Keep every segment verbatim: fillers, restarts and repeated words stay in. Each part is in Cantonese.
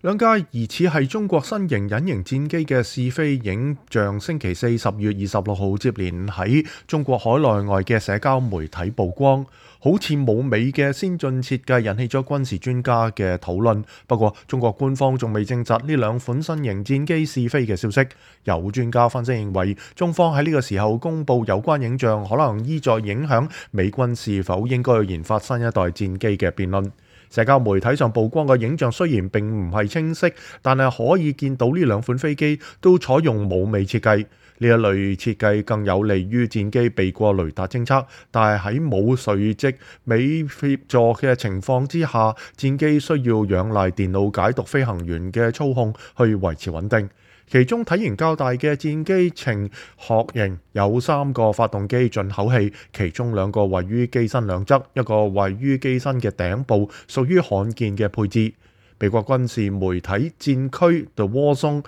兩架疑似係中國新型隱形戰機嘅試飛影像，星期四十月二十六號接連喺中國海內外嘅社交媒體曝光，好似冇尾嘅先進設計引起咗軍事專家嘅討論。不過，中國官方仲未證實呢兩款新型戰機試飛嘅消息。有專家分析認為，中方喺呢個時候公佈有關影像，可能意在影響美軍是否應該研發新一代戰機嘅辯論。社交媒體上曝光嘅影像雖然並唔係清晰，但係可以見到呢兩款飛機都採用冇尾設計。呢一類設計更有利於戰機避過雷達偵測，但係喺冇垂直尾協助嘅情況之下，戰機需要仰賴電腦解讀飛行員嘅操控去維持穩定。其中體型較大嘅戰機呈殼型，有三個發動機進口器，其中兩個位於機身兩側，一個位於機身嘅頂部，屬於罕見嘅配置。美國軍事媒體戰區 The War Zone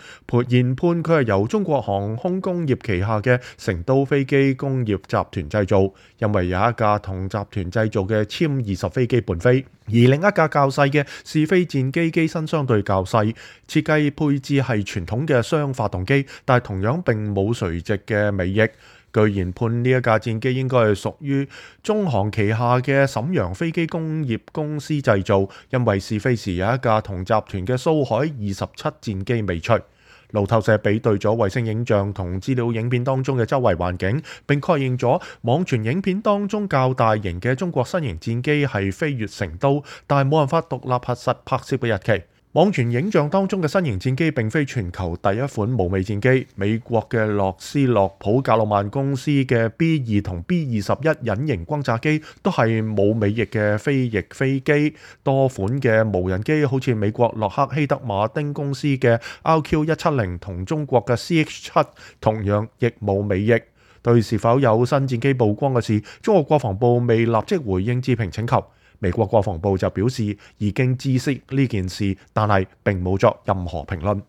研判佢係由中國航空工業旗下嘅成都飛機工業集團製造，因為有一架同集團製造嘅殲二十飛機伴飛，而另一架較細嘅試飛戰機機身相對較細，設計配置係傳統嘅雙發動機，但係同樣並冇垂直嘅尾翼。據研判呢一架戰機應該係屬於中航旗下嘅瀋陽飛機工業公司製造，因為試飛時有一架同集團嘅蘇海二十七戰機尾隨。路透社比對咗衛星影像同資料影片當中嘅周圍環境，並確認咗網傳影片當中較大型嘅中國新型戰機係飛越成都，但係冇辦法獨立核實拍攝嘅日期。網傳影像當中嘅新型戰機並非全球第一款無尾戰機，美國嘅洛斯洛普格魯曼公司嘅 B 二同 B 二十一隱形轟炸機都係冇尾翼嘅飛翼飛機，多款嘅無人機好似美國洛克希德馬丁公司嘅 R Q 一七零同中國嘅 C H 七同樣亦冇尾翼。對是否有新戰機曝光嘅事，中國國防部未立即回應置評請求。美國國防部就表示已經知悉呢件事，但係並冇作任何評論。